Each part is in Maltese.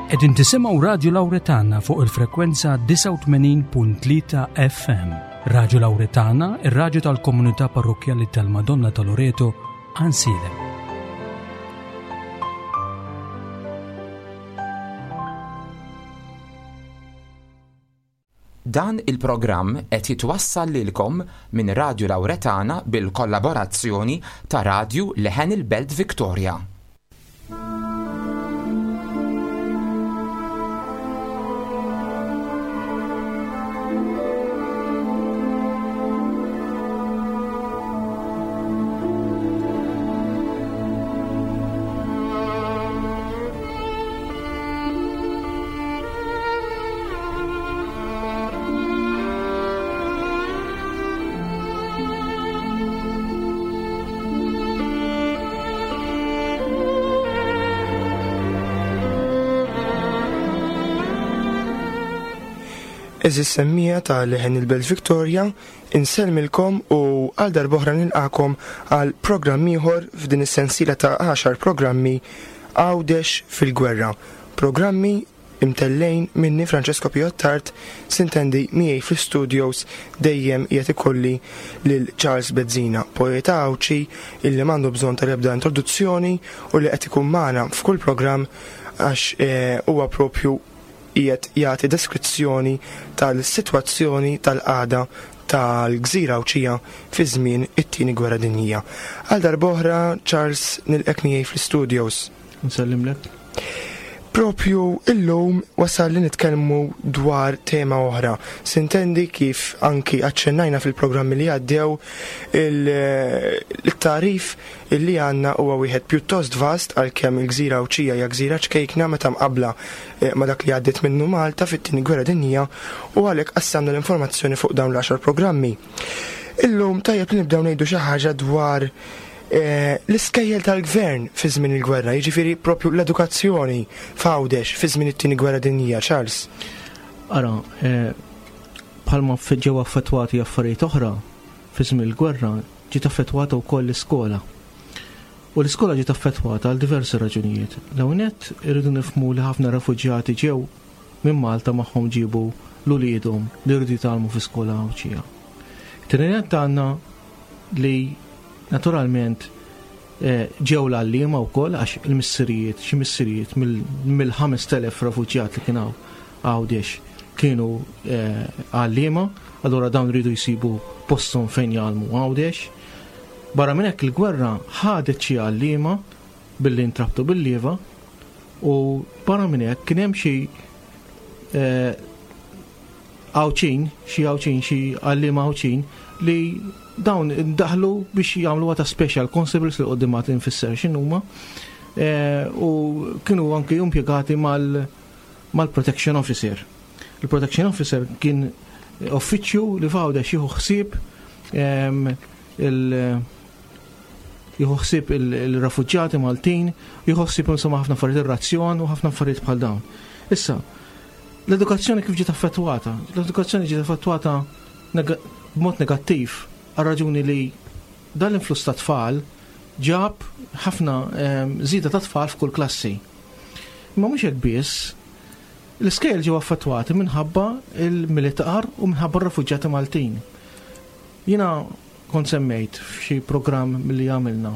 Qegħdin tisimgħu Radju Lawretana fuq il-frekwenza 89.3 FM. Radju Lawretana, ir-radju tal-komunità parrokkjali tal-Madonna ta' Loreto, Ansilem. Dan il-programm qed jitwassal lilkom minn Radju Lawretana bil-kollaborazzjoni ta' Radju Leħen il-Belt Victoria. Eżis semmija ta' leħen il-Belt Victoria, insellmilkom u għal darboħra nilqakom għal programm ieħor f'din is-sensiela ta' 10 programmi Għawdex fil-Gwerra. Programmi imtellgħin minni Francesco Pio Attard, sintendi miegħi fl-istudios dejjem qiegħed ikolli lil Charles Bezzina, poeta Għawdxi illi m'għandu bżonn tal-ebda introduzzjoni u li qed ikun magħna f'kull programm għax eh, huwa propju qiegħed jagħti deskrizzjoni tal-sitwazzjoni tal-qagħda tal-gżira Għawdxija fi żmien it-Tieni Gwerra Dinjija. Għal darb'oħra Charles nilqek miegħi fl-istudios. Nsellimlek. Propju illum wasal li nitkellmu dwar tema oħra. Sintendi kif anki aċċennajna fil-programmi li għaddew il-tarif illi għandna huwa wieħed pjuttost vast għalkemm il-gżira Għawdxija hija gżira ċkejkna meta mqabbla eh, ma' dak li għaddiet minnu Malta fit-tieni gwerra dinjija u għalhekk qassamna l-informazzjoni fuq dawn l-għaxar programmi. Illum tajjeb li nibdew ngħidu xi ħaġa dwar eh, l-iskejjel tal-gvern fi żmien il-gwerra, jiġifieri propju l-edukazzjoni f'Għawdex fi żmien it-tieni gwerra dinjija, Charles. Ara, eh, bħalma ġew affettwati affarijiet oħra fi żmien il-gwerra, ġiet affettwata wkoll l-iskola. U l-iskola ġiet affettwata għal diversi raġunijiet. L-ewwel nett irridu nifhmu li ħafna refuġjati ġew minn Malta magħhom ġiebu l-uliedhom li rridu jitgħallmu fi skola Għawdxija. Tieni nett għandna li naturalment eh, ġew l-għalliema wkoll għax il-missirijiet, xi missirijiet mill-5000 refuġjat li kien hawn Għawdex kienu eh, għalliema, allura dawn rridu jsibu posthom fejn jgħallmu Għawdex. Barra minn hekk il-gwerra ħadet xi għalliema billi ntrabtu bil-lieva u barra minn hekk kien hemm xi eh, Għawdxin, xi Għawdxin, xi għalliema Għawdxin li dawn daħlu biex jagħmlu ta' special constables li qudiem ma tinfisser x'inhuma eh, u kienu anki impjegati mal mal-protection officer. Il-protection officer kien uffiċċju li f'Għawdex jieħu ħsieb ehm, il- jieħu ħsieb il-refuġjati Maltin, jieħu ħsieb insomma ħafna affarijiet ir-razzjon u ħafna affarijiet bħal dawn. Issa, l-edukazzjoni kif ġiet affettwata? L-edukazzjoni ġiet affettwata b'mod negattiv għal raġuni li dan l-influss ta' tfal ġab ħafna ehm, żieda ta' tfal f'kull klassi. Imma mhux hekk biss, l-iskejjel ġew affettwati minħabba il-militar u minħabba r-refuġjati Maltin. Jiena kont semmejt f'xi programm milli għamilna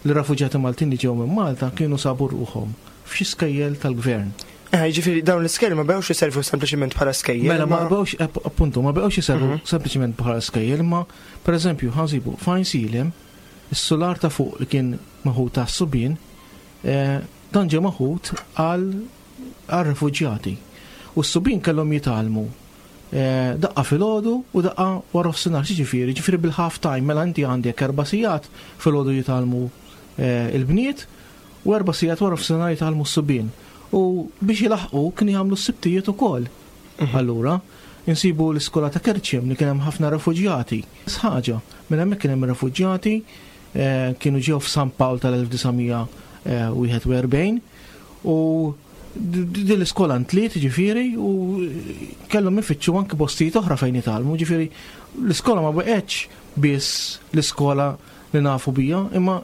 li r-refuġjati Maltin li ġew minn Malta kienu sabu ruħhom f'xi skejjel tal-gvern. Eh, jiġifieri dawn l-iskejjel ma beqgħux iservu sempliċiment bħala skejjel. Mela ma beqgħux appuntu ma beqgħux iservu mhm. sempliċiment bħala skejjel, imma pereżempju ħansibu fajn silem is-sular ta' fuq li kien maħud ta' subien, eh, dan ġie maħud għal refuġjati. U s-subien kellhom jitgħallmu Eh, daqqa filgħodu u daqqa wara nofsinhar, ġifieri, ġifieri bil-half time, mela inti għandek erba' sigħat filgħodu jitgħallmu eh, il-bniet u erba' sigħat wara nofsinhar jitgħallmu s-subien. U biex jilaħqu kienu jagħmlu s-sibtijiet ukoll. Mhm. Allura, insibu l-iskola ta' Kerċem li kien hemm ħafna refuġjati. Ħaġa, minn hemmhekk kien hemm refuġjati eh, kienu ġew f'San Pawl tal-1941 u Din l-iskola ntliet ġifieri u kellhom ifittxu anki postijiet oħra fejn jitgħallmu, ġifieri l-iskola ma baqgħetx biss l-iskola li nafu bija, imma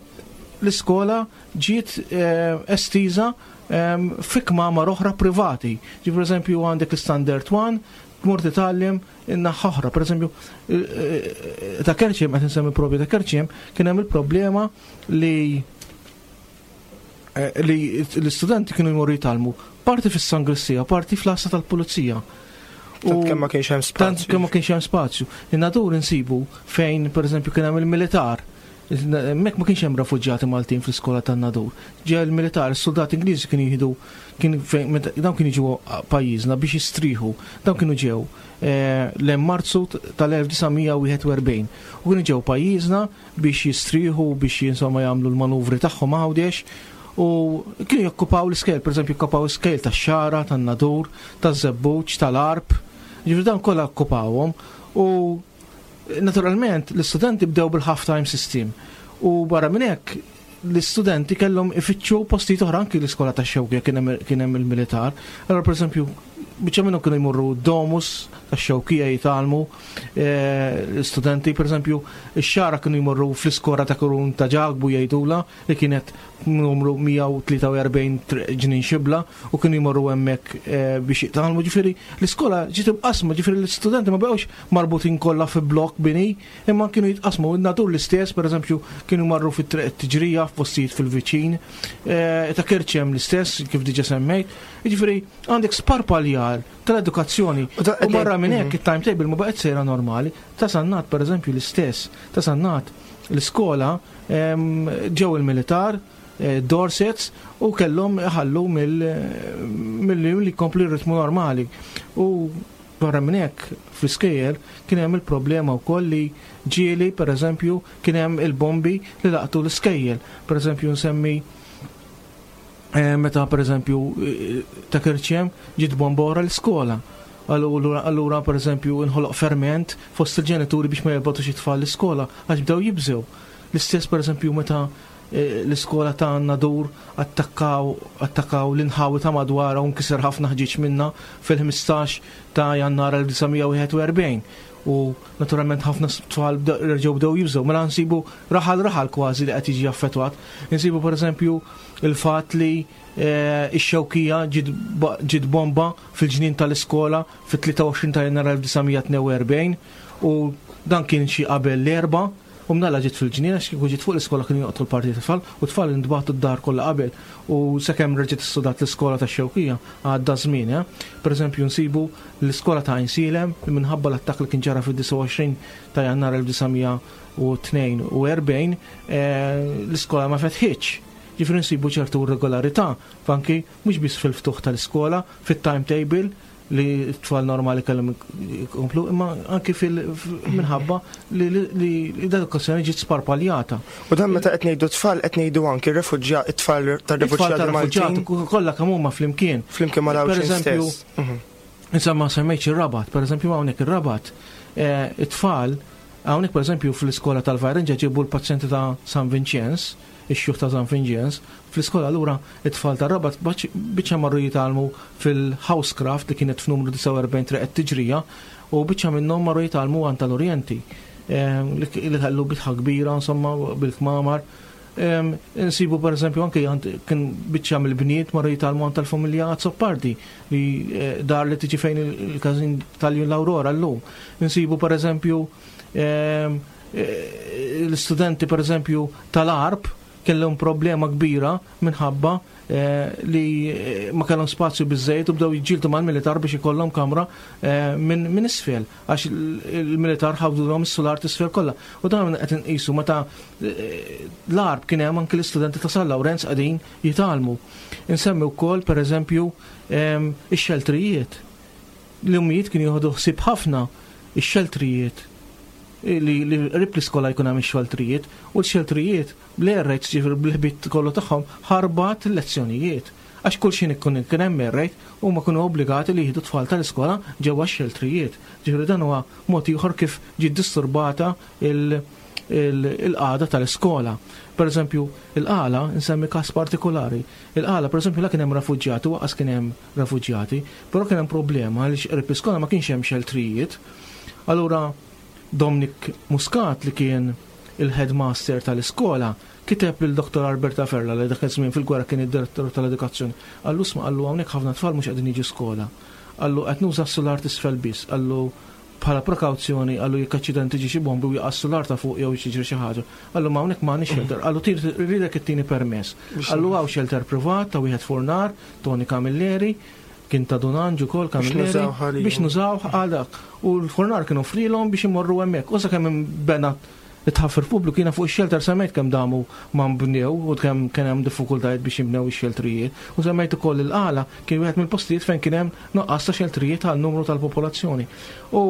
l-iskola ġiet eh, estiża ehm, fi kmamar oħra privati. Ġi per eżempju għandek l-Standard 1, tmur titgħallem in-naħa oħra. Per eżempju, eh, eh, ta' Kerċem, qed insemmi propju ta' Kerċem, kien hemm il-problema li li l-istudenti kienu jmorru jitgħallmu parti fis-sangrissija, parti fl-għassa tal-pulizija. U kemm ma kienx hemm spazju. Tant kemm ma kienx hemm spazju. In-nadur insibu fejn pereżempju kien hemm il-militar. Hemmhekk ma kienx hemm refuġjati Maltin fl-iskola tan-Nadur. Ġew il-militar, is-soldati Ingliżi kienu jieħdu kien fejn dawn kienu jiġu pajjiżna biex jistrieħu. Dawn kienu ġew eh, l Marzu tal-1941 u kienu ġew pajjiżna biex jistrieħu biex insomma jagħmlu l-manuvri tagħhom Għawdex u kienu jokkupaw l-iskejl, pereżempju jokkupaw iskejl tax-Xagħra, tan-Nadur, taż-Żebbuġ, tal-Għarb, jiġifieri dawn kollha okkupawhom u naturalment l-istudenti bdew bil-half time system u barra minn hekk l-istudenti kellhom ifittxu postijiet oħra anki l-iskola tax-Xewkija kien hemm il-militar. Allora pereżempju biċċa minnhom kienu jmorru domus tax-Xewkija jitgħallmu eh, l-istudenti, pereżempju ix-Xagħra kienu jmorru fl-iskola ta' Kurun ta' Ġakbu jgħidula li kienet numru 143 ġnien xibla u kienu jmorru hemmhekk eh, biex jitgħallmu. Ġifieri l-iskola ġiet imqasma, ġifieri l-istudenti ma baqgħux marbutin kollha fi blokk bini, imma kienu jitqasmu. In-Nadur l-istess, pereżempju, kienu marru fit-triq tiġrija f'postijiet fil-viċin, eh, ta' Kerċem l-istess, kif diġa semmejt. Jiġifieri għandek sparpaljar tal-edukazzjoni. U barra minn hekk mhm. it-timetable ma baqgħet sejra normali. Ta' Sannat pereżempju l-istess, ta' Sannat l-iskola ġew il-militar, eh, Dorsets u kellhom iħallu mill-li jkomplu r-ritmu normali. U Barra minn hekk, fl-iskejjel kien hemm il-problema wkoll li ġieli, pereżempju, kien hemm il-bombi li laqtu l-iskejjel. Pereżempju nsemmi eh, meta pereżempju eh, ta' Kerċem ġiet bomba wara l-iskola. Allura pereżempju inħoloq ferment fost il-ġenituri biex ma jibgħatux it-tfal l-iskola għax bdew jibżew. L-istess pereżempju meta l-iskola ta' Nadur attakkaw attakkaw l-inħawi ta' madwarha u nkiser ħafna ħġieġ minnha fil-15 ta' Jannar 1941 u naturalment ħafna tfal reġgħu bdew jibżgħu. Mela nsibu raħal raħal kważi li qed jiġi affettwat. Insibu pereżempju il-fatt li eh, ix-Xewkija ġiet bomba fil-ġnien tal-iskola fit-23 ta' Jannar 1942 u dan kien xi qabel l-erba' U mnalla ġiet fil-ġnien għax kieku ġiet fuq l-iskola kienu joqtlu l-parti tat-tfal u t-tfal intbagħtu d-dar kollha qabel u sakemm reġgħet issudat l-iskola tax-Xewkija għadda żmien. Eh? Pereżempju nsibu l-iskola ta' Għajnsielem li minħabba l-attakk li kien ġara fid-29 ta' Jannar 1942 eh, l-iskola ma fetħitx. Ġifieri nsibu ċertu irregolarità anki mhux biss fil-ftuħ tal-iskola, fit-timetable, li t-tfal normali kellhom ikomplu, imma anki minħabba li l-edukazzjoni ġiet sparpaljata. U dan meta qed ngħidu tfal qed ngħidu anki refuġjat it-tfal tar-refuġjati Maltin. Kollha kemm huma flimkien. Flimkien ma' Per mhm. Insomma semmejtx ir-Rabat, pereżempju hawnhekk ir-Rabat, eh, it-tfal hawnhekk pereżempju fl-iskola tal-Vajrinġa ġibu l-pazjenti ta' San Vinċenz, ix-xjuħ ta' San Vinċenz, Fl-iskola allura it-tfal tar-Rabat biċċa marru jitgħallmu fil-Housecraft li kienet f'numru 49 Triq it-Tiġrija u biċċa minnhom marru jitgħallmu għand tal-Orjenti li kellu bitħa kbira insomma bil-kmamar. Insibu pereżempju anke kien biċċa mill-bniet marru jitgħallmu għand tal-familja Azzopardi li eh, dar li tiġi fejn il-każin tal-Jun l-Aurora llum. Insibu pereżempju eh, l-istudenti pereżempju tal-Arp kellhom problema kbira minħabba eh, li eh, ma kellhom spazju biżejjed u bdew jiġġieldu mal-militar biex ikollhom kamra eh, minn isfel għax il-militar ħawdulhom is-sular t'isfel kollha. U dan qed inqisu meta l-arb kien hemm anke l-istudenti ta' San Lawrenz qegħdin jitgħallmu. Insemmi wkoll pereżempju ix-xeltrijiet. L-ummijiet kienu jieħdu ħsieb ħafna ix-xeltrijiet li qrib l-iskola jkun hemm ix-xeltrijiet u l-xeltrijiet bl-air raids ġifieri bil-ħbit kollu tagħhom ħarbat il-lezzjonijiet. Għax kull xi ikun kien hemm air raid huma kienu obbligati li jieħdu tfal tal-iskola ġewwa x-xeltrijiet. Ġifieri dan huwa mod ieħor kif ġiet disturbata il-qagħda tal-iskola. Pereżempju, il-Qala, insemmi każ partikolari, il-Qala pereżempju la kien hemm refuġjati u lanqas kien hemm refuġjati, però kien hemm problema għaliex qrib l-iskola ma kienx hemm xeltrijiet. Allura Dominic Muscat li kien il-headmaster tal-iskola Kiteb lil Dr. Alberta Ferla li dak iż-żmien fil-gwerra kien id-direttur tal-edukazzjoni. Qallu isma' qallu hawnhekk ħafna tfal mhux qegħdin jiġu skola. Qallu qed nuża s-sular t'isfel biss. Qallu bħala prekawzjoni qallu jekk aċċident tiġi xi bombi u jaqa' s-sular ta' fuq jew jiġri xi ħaġa. Qallu ma hawnhekk m'għandniex shelter. Qallu rridek ittini permess. Qallu hawn shelter privat ta' wieħed furnar, Tony Camilleri, kien ta' Dun Anġ ukoll Camilleri, biex nużawh għal dak. U l-furnar kien offrilhom biex imorru hemmhekk. U sakemm inbena it-tħaffir pubbliku jiena fuq ix-shelter semmejt kemm damu ma nbnew u kemm kien hemm diffikultajiet biex jinbnew ix-xeltrijiet. U semmejt ukoll il-Qala kien wieħed mill-postijiet fejn kien hemm nuqqas ta' xeltrijiet għal numru tal-popolazzjoni. U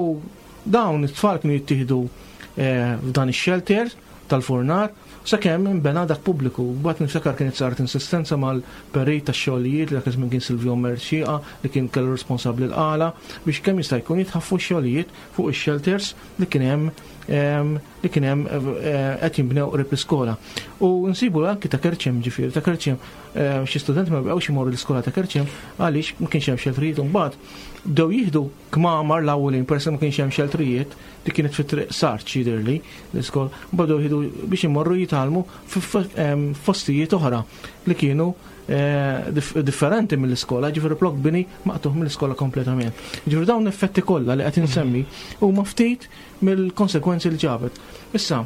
dawn it-tfal kienu jittieħdu eh, f'dan ix-shelter tal-furnar sakemm inbena dak pubbliku. Mbagħad niftakar kienet saret insistenza mal-perit tax-xogħlijiet li dak iż-żmien kien Silvio Mercieqa li kien kellu responsabbli l-Qala biex kemm jista' jkun jitħaffu x-xogħlijiet fuq ix-shelters li kien hemm li kien hemm eh, qed jinbnew qrib l-iskola. U nsibu anki ta' Kerċem ġifieri, ta' Kerċem eh, xi studenti ma bqgħux imorru l-iskola ta' Kerċem għaliex ma kienx hemm xeltrijiet u mbagħad bdew jieħdu kmamar l-awwelin peress ma kienx hemm xeltrijiet li kienet fit-triq Sarċ jidhirli l-iskola, bdew jieħdu biex imorru jitgħallmu f'postijiet oħra li kienu eh, differenti mill-iskola, ġifieri plok bini maqtuħ mill-iskola kompletament. Ġifieri dawn l-effetti kollha li qed insemmi huma ftit mill-konsekwenzi li ġabet. Issa,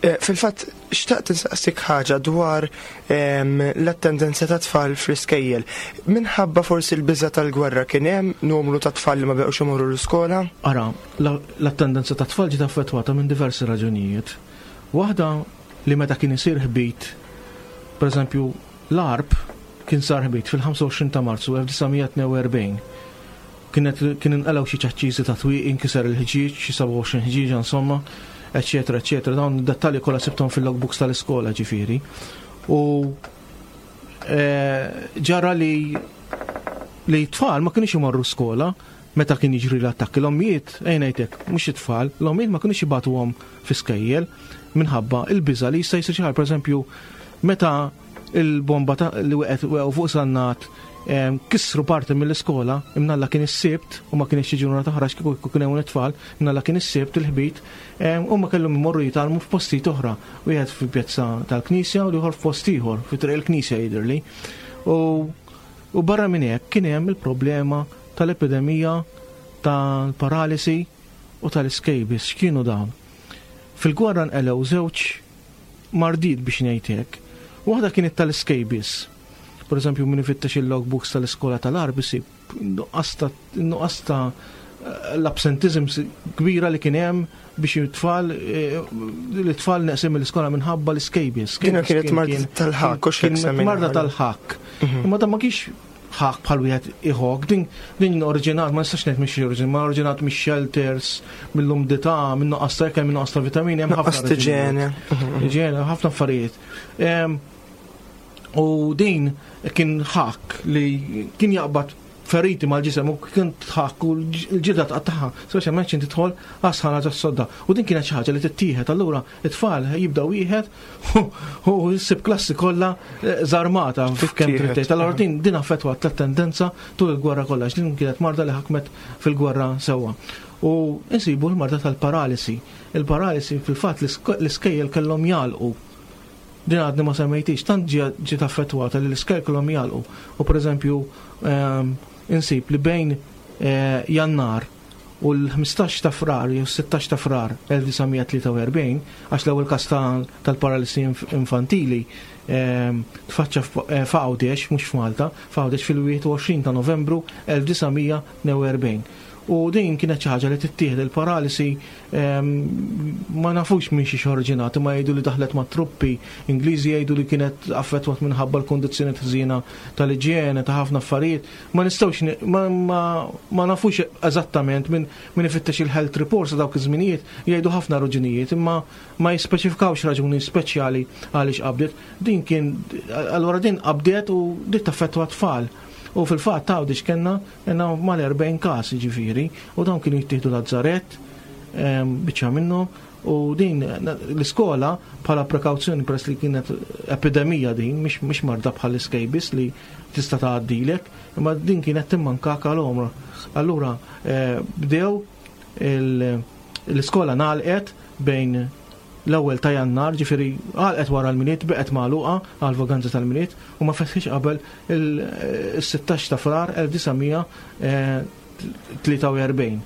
eh, Fil-fatt, xtaqt insaqsik ħaġa dwar ehm, l-attendenza ta' tfal fl-iskejjel. Minħabba forsi l-biża tal-gwerra kien hemm numru ta' tfal li ma beqgħux imorru l-iskola? Ara, l-attendenza ta' tfal ġiet affettwata minn diversi raġunijiet. Waħda li meta kien isir ħbit, pereżempju, l-Għarb kien sar ħbit fil-25 ta' Marzu 1942. Kienet kien inqalgħu xi ċaċċiżi ta' twieqi, inkiser il-ħġieġ, xi 27 ħġieġa insomma, eċċetera, eċċetera. Dawn id-dettalji kollha sibthom fil-logbooks tal-iskola ġifieri. U eh, ġara li li t-tfal ma kienux imorru skola meta kien jiġri l-attakki. L-ommijiet, ejja ngħidlek, mhux it-tfal, l-ommijiet ma kinux jibagħtuhom fi skejjel minħabba il-biża' li jista' jsir xi ħaġa. Pereżempju, meta il-bomba li waqgħet waqgħu fuq Sannat kissru parti mill-iskola, imnalla kien is-Sibt u ma kienx xi ġurnata oħra kieku kien hemm it-tfal, imnalla kien is-Sibt il-ħbit, huma kellhom imorru jitgħallmu f'postijiet oħra, wieħed fil-pjazza tal-Knisja u l-ieħor f'post ieħor, fi triq il-Knisja jidhirli. U barra minn hekk kien hemm il-problema tal-epidemija tal-paralisi u tal-scabies. X'kienu dawn? Fil-gwerra nqelgħu żewġ mardiet biex ngħid hekk. Waħda kienet tal-scabies. Per eżempju, min ifittex il-logbooks tal-iskola tal-Għarb isib nuqqas ta' l-absentizm kbira li kien hemm biex it-tfal eh, l-tfal neqsim mill-iskola minħabba l-scabies. Kienu kienet marda tal-ħakk, u kienet marda tal-ħakk. Mhm. Imma dan ma kienx ħakk bħal wieħed iħok, din din oriġinat, ma nistax ngħid mhix oriġinat, ma oriġinat mix-shelters, mill-umdità, minn nuqqas ta' ikel, minn nuqqas ta' vitamini, hemm ħafna. Iġene. Iġene, ħafna affarijiet. U din kien ħakk li kien jaqbad feriti mal-ġisem u kien tħakk u l-ġilda tqattaħħa, speċjalment x'in tidħol għas-sħana tas-sodda. U din kienet xi ħaġa li tittieħed, allura it-tfal jibda wieħed u ssib klassi kollha eh, żarmata kemm trid tgħid. Allura din din affettwat t-tendenza tul il-gwerra kollha, din kienet marda li ħakmet fil-gwerra sewwa. U insibu l-marda tal-paralisi. Il-paralisi fil-fatt l-iskejjel kellhom jagħlqu Din għadni ma semmejtix, tant ġiet affettwata li l-iskejjel kellhom jagħlqu. U pereżempju ehm, insib li bejn eh, Jannar u l-15 ta' Frar jew 16 ta' Frar 1943, għax l-ewwel każ tal-paralisi infantili ehm, tfaċċa eh, f'Għawdex, mhux f'Malta, f'Għawdex fil-21 ta' Novembru 1942. U din kienet xi ħaġa li tittieħed il-paralisi Ma nafux minn xiex oriġinat, imma jgħidu li daħlet ma' truppi Ingliżi jgħidu li kienet affettwat minħabba l-kondizzjoni ħżiena tal-iġjene ta' ħafna affarijiet. Ma nistgħux ma, ma, ma nafux eżattament minn min ifittex il-health reports ta' dawk iż-żminijiet jgħidu ħafna raġunijiet, imma ma jispeċifikawx raġuni speċjali għaliex qabdet. Din kien allura din qabdet u dit taffettwa tfal. U fil-fatt Għawdex kellna kellna mal-40 każ jiġifieri u dawn kienu jittieħdu Lazzarett biċċa minnhom u din l-iskola bħala prekawzjoni peress li kienet epidemija din mhix marda bħal scabies li tista' tgħaddilek, imma din kienet timmankak għal għomra. Allura eh, bdew l-iskola nagħlqet bejn l-ewwel ta' Jannar, ġifieri għalqet wara l-Milied, beqgħet magħluqa għall-vaganza tal-Milied u ma fetħitx qabel il-16 ta' Frar 1943.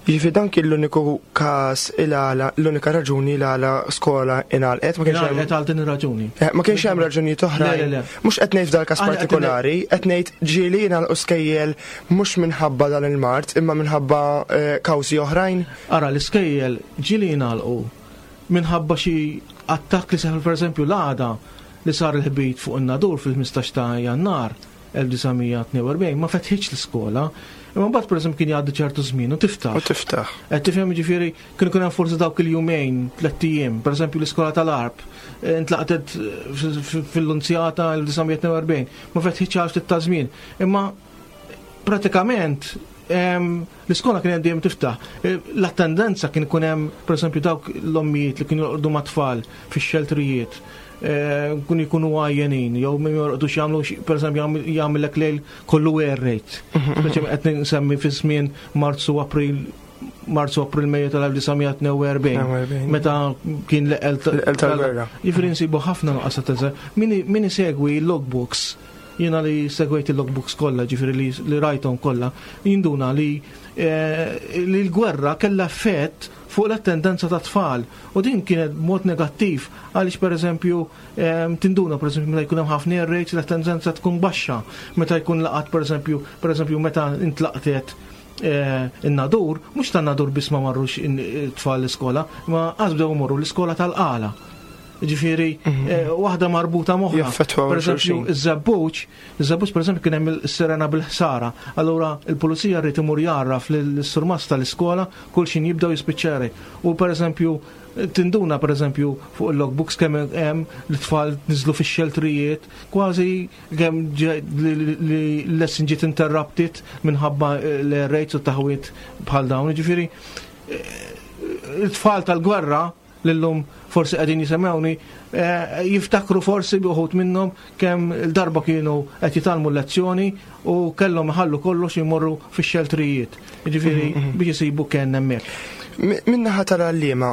Jiġifieri dan kien l-uniku każ il-għala, l-unika raġuni l-għala skola ingħalqet, ma kienx hemm. Ingħalqet għal din ir-raġuni. Eh, ma kienx hemm raġunijiet oħra. Le, le, le. Mhux qed ngħid f'dal każ partikolari, qed ngħid ġieli jingħalqu skejjel mhux minħabba dan il-mard, imma minħabba eh, kawżi oħrajn. Ara, l-iskejjel ġieli jingħalqu minħabba xi attakk li seħħ pereżempju l-għada li sar il-ħbit fuq in-Nadur fil-15 ta' Jannar 1942 ma fetħitx l-iskola. Imma mbagħad pereżempju kien jgħaddi ċertu żmien u tiftaħ. U tiftaħ. Qed tifhem jiġifieri kien ikun hemm forsi dawk il-jumejn, tlett ijiem, pereżempju l-iskola tal-Għarb eh, intlaqtet fil-Lunzjata 1942, ma fetħitx għal ftit ta' żmien. Imma pratikament l-iskola kienet dejjem tiftaħ. E, l-attendenza kien ikun hemm, pereżempju, dawk l-ommijiet li kienu jorqdu mat-tfal fix-xeltrijiet, e, kun jkunu għajjenin, jew min jorqdux jagħmlu, pereżempju, jagħmellek lejl kollu air raid. Speċi qed nsemmi fi żmien Marzu April Marzu April Mejju tal-1942 meta kien l-eqel tal-gwerra. Jiġifieri nsibu ħafna nuqqas ta' Min isegwi logbooks Jiena li segwejt il-logbooks kollha, ġifieri li, li rajthom kollha, jinduna li, eh, li l-gwerra kellha effett fuq l-attendenza ta' tfal u din kienet mod negattiv għaliex pereżempju eh, tinduna pereżempju meta jkun hemm ħafna air raids l-attendenza tkun baxxa, meta jkun laqat pereżempju pereżempju meta intlaqtet eh, in-nadur, mhux tan-nadur biss ma marrux tfal l-iskola, ma qas bdew imorru l-iskola tal-qala. Ġifieri, mhm. eh, waħda marbuta moħħa. Per eżempju, iż-żebbuġ, iż-żebbuġ pereżempju kien hemm is-sirena bil-ħsara. Allura il-pulizija rrid imur jarraf lill-surmast tal-iskola kull xin jibdew jispiċċeri. U pereżempju, tinduna pereżempju fuq il-logbooks kemm hemm l-tfal niżlu fix-xeltrijiet, kważi kemm li l-lesson ġiet interrupted minħabba l-rates u taħwit bħal dawn. Ġifieri, eh, it-tfal tal-gwerra li llum forsi qegħdin jisemgħuni, eh, jiftakru forsi bi uħud minnhom kemm il-darba kienu qed jitgħallmu l-lezzjoni u kellhom iħallu kollox jmorru fix-xeltrijiet. Jiġifieri mhm, mhm. biex isibu kenn hemmhekk. Minnaħa tal-għalliema,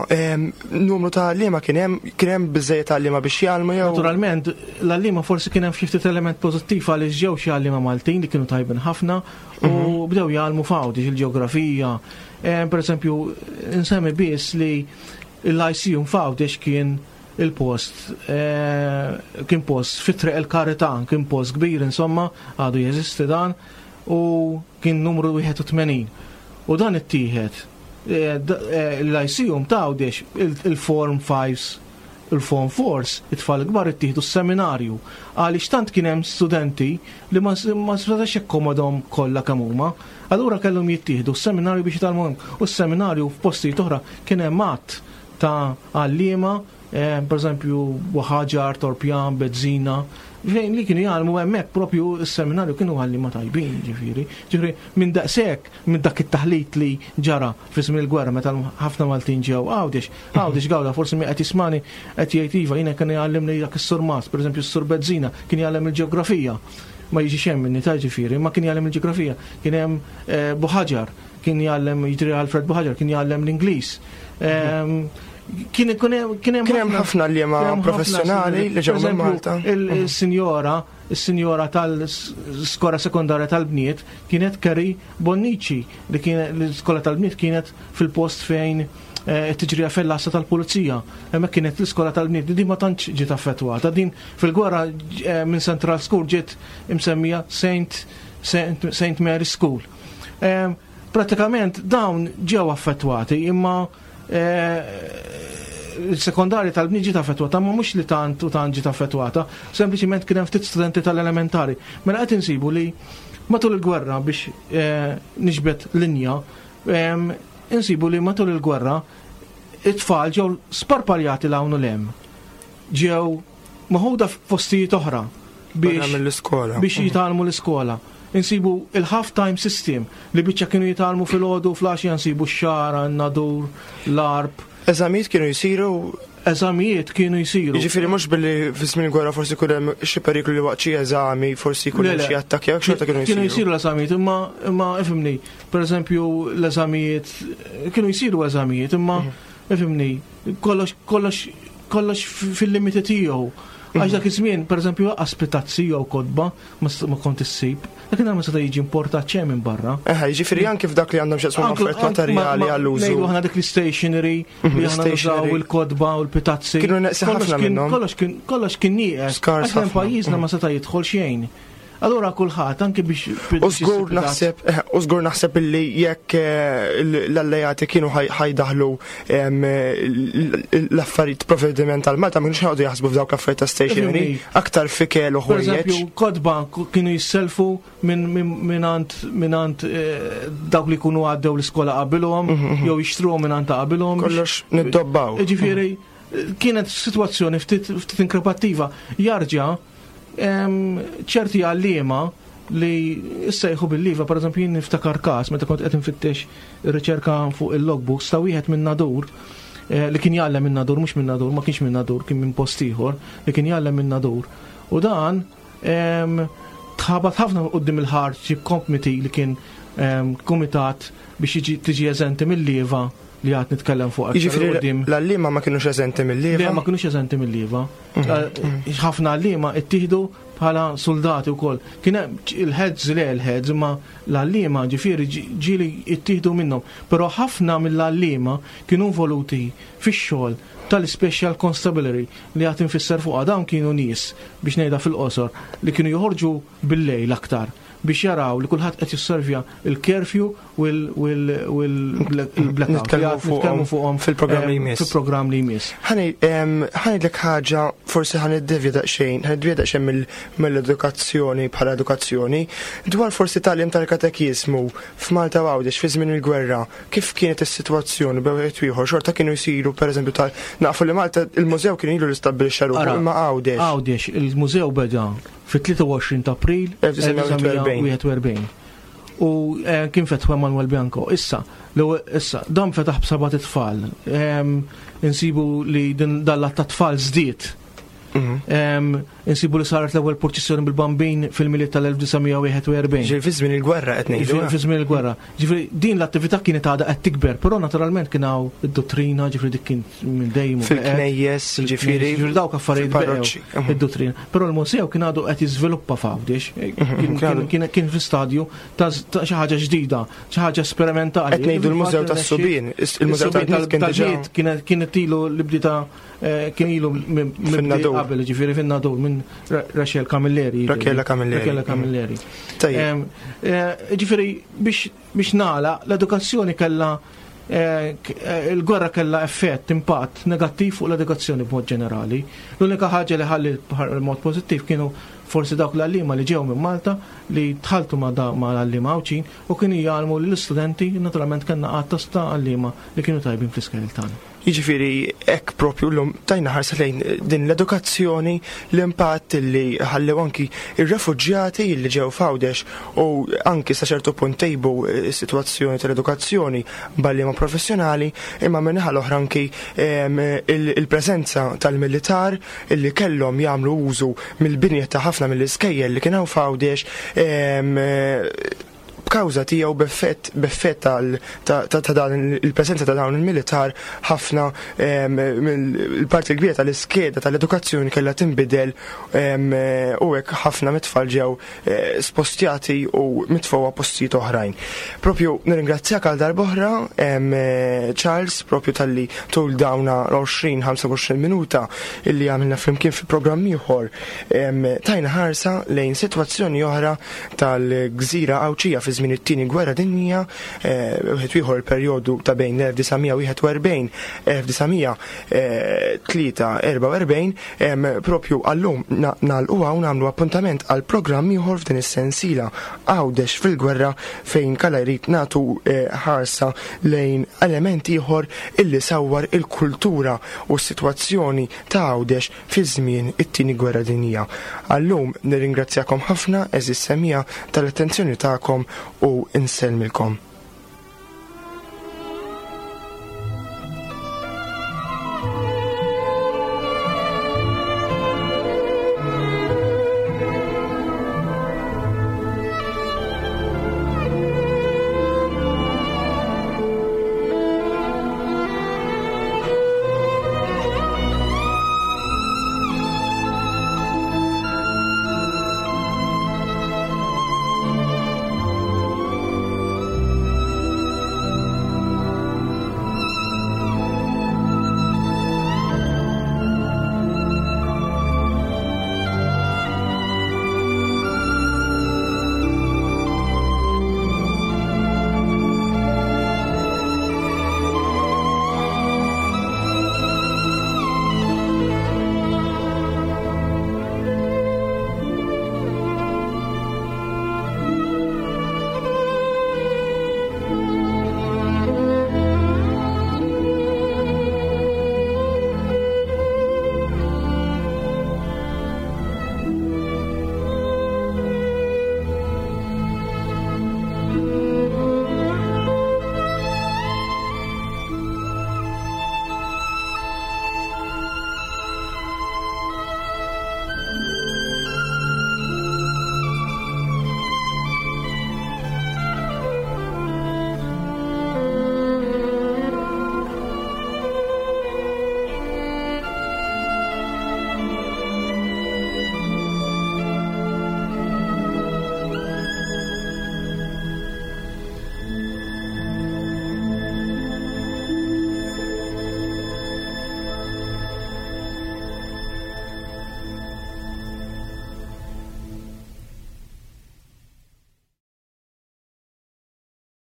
numru ta' għalliema kien hemm kien hemm biżejjed għalliema biex jgħallmu jew. Naturalment, l-għalliema forsi kien hemm xi ftit element pożittiv għaliex ġew xi għalliema Maltin li kienu tajbin ħafna u mhm. bdew jgħallmu f'Għawdex il-ġeografija, Eh, per eżempju, nsemmi biss li l-ICU f'Għawdex kien il-post, eh, kien post fit-triq il-Karità, kien post kbir insomma, għadu jeżisti dan, u kien numru 81. U dan ittieħed eh, l-ICU ta' Għawdex il-Form 5 il-Form Fours, it-tfal kbar ittieħdu s-seminarju għaliex tant kien hemm studenti li ma setax jakkomodhom kollha kemm huma. Allura kellhom jittieħdu s-seminarju biex jitgħallmu hemm. U s-seminarju f'postijiet oħra kien hemm għadd ta' għalliema, eh, pereżempju Ħaġar, Torpjan, Bezzina, fejn li kienu jgħallmu hemmhekk propju s-seminarju kienu għalliema tajbin, ġifieri. Ġifieri minn daqshekk, minn dak it-taħlit li ġara fi żmien il-gwerra meta ħafna Maltin ġew Għawdex, Għawdex gawda forsi min qed jismani qed jgħid iva jiena kien jgħallimni dak is-surmast, pereżempju s-sur Bezzina kien jgħallem il-ġeografija. Ma jiġix hemm minni ta' ġifieri, ma kien jgħallem il-ġeografija. Kien hemm eh, Buħaġar, kien jgħallem jiġri Alfred Buħaġar, kien jgħallem l-Ingliż. Ehm, kien hemm ħafna li ma professjonali li ġew minn Malta. Il-sinjora, il-sinjora tal-skola sekondarja tal-bniet kienet Kerry Bonnici li kien l-iskola tal-bniet kienet fil-post fejn eh, it-tiġrija fil-lassa tal-pulizija. Hemmhekk kienet l-iskola tal-bniet li din ma tantx ġiet affettwata. Din fil-gwerra eh, minn Central School ġiet imsemmija Saint, Saint, Saint Mary School. Eh, pratikament dawn ġew affettwati imma il-sekondarja tal-bniet ġiet affettwata, ma mhux li tant u tant ġiet affettwata, sempliċiment kien hemm ftit studenti tal-elementari. Mela qed insibu li matul il-gwerra biex eh, niġbed linja, insibu li matul il-gwerra it-tfal ġew sparpaljati l hawn u lem. Ġew maħuda f'postijiet oħra biex mill-iskola. Biex mhm. jitgħallmu l-iskola. Insibu il-half time system li biċċa kienu jitgħallmu fil-ħodu fl-għaxija nsibu x-xara, n-nadur, l-arb. Eżamijiet kienu jsiru Eżamijiet kienu jsiru. Jiġifieri mhux billi fi żmien gwerra forsi jkun hemm xi periklu li waqt xi eżami forsi jkun hemm xi attakki jekk xorta kienu jsiru. Kienu jsiru l-eżamijiet imma imma ifhimni, pereżempju l-eżamijiet kienu jsiru eżamijiet imma mhm. ifhimni kollox kollox kollox fil-limiti tiegħu. Għax dak iż-żmien, pereżempju, lanqas pitazzi jew kotba ma kont issib. Dakinhar ma seta' jiġi importat xejn minn barra. Eħe, jiġifieri anki f'dak li għandhom x'jaqsmu ma' affarijiet materjali għall-użu. Ngħidu aħna dik l-istationery li aħna nużaw il-kotba u l-pitazzi. Kienu neqsin ħafna minnhom. Kollox kien nieqes. Skars ħafna. Pajjiżna ma seta' jidħol xejn. Allura kulħadd anki biex U żgur naħseb eh, u żgur naħseb illi jekk eh, l-allejati kienu ħajdaħlu l-affarijiet provvediment tal Malta ma kienux ħajqogħdu jaħsbu f'dawk l-affarijiet ta' stationery aktar fikel u ħwejjeġ. Kodba kienu jisselfu minn eh, dawk li jkunu għaddew l-iskola qabilhom mhm, mhm. jew jixtruhom minn ta' qabilhom. Kollox niddobbaw. Ġifieri kienet sitwazzjoni ftit inkrepattiva. Jarġa' ċerti għalliema li issejħu bil-liva, per eżempju, jien niftakar każ meta kont qed infittex riċerka fuq il-logbooks ta' wieħed minn Nadur eh, li kien jgħallem minn Nadur, mhux minn Nadur, ma kienx minn Nadur, kien minn post ieħor, li kien jgħallem minn Nadur. U dan tħabat ħafna quddiem il-Hardship Committee li kien kumitat biex jiġi tiġi eżenti mill-lieva li għad nitkellem fuq. Jiġifieri l-għalliema ma kinux eżenti mill-lieva? Le, ma kinux eżenti mill-lieva. Mhm. Ħafna għalliema ittieħdu bħala soldati wkoll. Kien hemm il-heads le l-heads imma l-għalliema ġifieri ġieli ittieħdu minnhom. Però ħafna mill-għalliema kienu involuti fix-xogħol tal-Special Constabulary li għad infisser fuqha dawn kienu nies biex ngħidha fil-qosor li kienu joħorġu bil-lejl aktar biex jaraw li kulħadd qed jisservja il-curfew u l-blackout. Nitkellmu fuqhom fil-programm li jmiss. Fil-programm li jmiss. Ħanidlek ħaġa, forsi ħaniddevja daqsxejn, ħaniddevja daqsxejn mill-edukazzjoni bħala edukazzjoni, dwar forsi tagħlim tal-katekiżmu f'Malta u Għawdex fi żmien il-gwerra, kif kienet is-sitwazzjoni bejn wieħed u ieħor, xorta kienu jsiru pereżempju tal nafu li Malta il-mużew kien ilu li stabbilixxa ruħu imma Għawdex. Għawdex, il-mużew beda fit-23 ta' April 1941. U eh, kien fetħu Emanuel Bianco. Issa, issa, dan fetaħ b'seba' tfal. Insibu li din dalla ta' tfal żdied. Mhm. Insibu li saret l-ewwel purċissjoni bil-bambin fil-miliet tal-1941. Ġifieri fi żmien il-gwerra qed ngħidu. Fi żmien il-gwerra. Ġifieri din l-attività kienet għadha qed tikber, però naturalment kien hawn id-dottrina, ġifieri dik kien minn dejjem. Fil-knejjes, ġifieri. Ġifieri dawk affarijiet parroċċi. Mhm. Id-dottrina. Però l-musew kien għadu qed jiżviluppa f'Għawdex. Mhm, kien fi stadju ta' xi ħaġa ġdida, xi ħaġa sperimentali. Qed ngħidu l-Mużew tas-Subien, il-Mużew tal-Bniet kien ilu li bdita eh, kien ilu minn qabel, ġifieri fin-Nadur minn Rachel Camilleri. Rachela Camilleri. Rachela Camilleri. Eh, ġifieri biex nagħlaq l-edukazzjoni kellha Eh, eh, il-gwerra kellha effett, impatt negattiv fuq l-edukazzjoni b'mod ġenerali. L-unika ħaġa li ħalli mod pożittiv kienu forsi dawk l-għalliema li ġew minn Malta li tħaltu ma' l-għalliema Għawdxin u kienu jgħallmu lill-istudenti, naturalment kellna għadd ta' għalliema li kienu tajbin fl-iskejjel tagħna. Jiġifieri hekk propju llum tajna ħarsa lejn din l-edukazzjoni, l-impatt li ħallew anki ir-refuġjati li ġew f'Għawdex u anki sa ċertu punt tejbu s-sitwazzjoni tal-edukazzjoni b'għalliema professjonali, imma min-naħa l-oħra anki il-preżenza tal-militar li kellhom jagħmlu użu mill-binja ta' ħafna mill-iskejjel li kien hawn f'Għawdex b'kawża tiegħu b'effett b'effett tal ta' ta' dan il-preżenza ta' dawn il-militar ħafna mill-parti l-kbira tal-iskeda tal-edukazzjoni kellha tinbidel u hekk ħafna mit-tfal ġew eh, spostjati u mitfgħu postijiet oħrajn. Propju nirringrazzjak għal darb'oħra Charles propju talli tul dawna l-20-25 minuta illi għamilna flimkien fi programm ieħor tajna ħarsa lejn sitwazzjoni oħra tal-gżira Għawdxija fi żmien it-Tieni Gwerra Dinjija, wieħed ieħor il-perjodu ta' bejn l-1941 1943, propju għallum nagħlqu hawn nagħmlu appuntament għal programm ieħor f'din is-sensiela Għawdex fil-Gwerra fejn kalla jrid nagħtu eh, ħarsa lejn element ieħor illi sawwar il-kultura u s-sitwazzjoni ta' Għawdex fi żmien it-Tieni Gwerra Dinjija. Għal-lum nirringrazzjakom ħafna għeżież semmiegħa tal-attenzjoni tagħkom u nsellmilkom.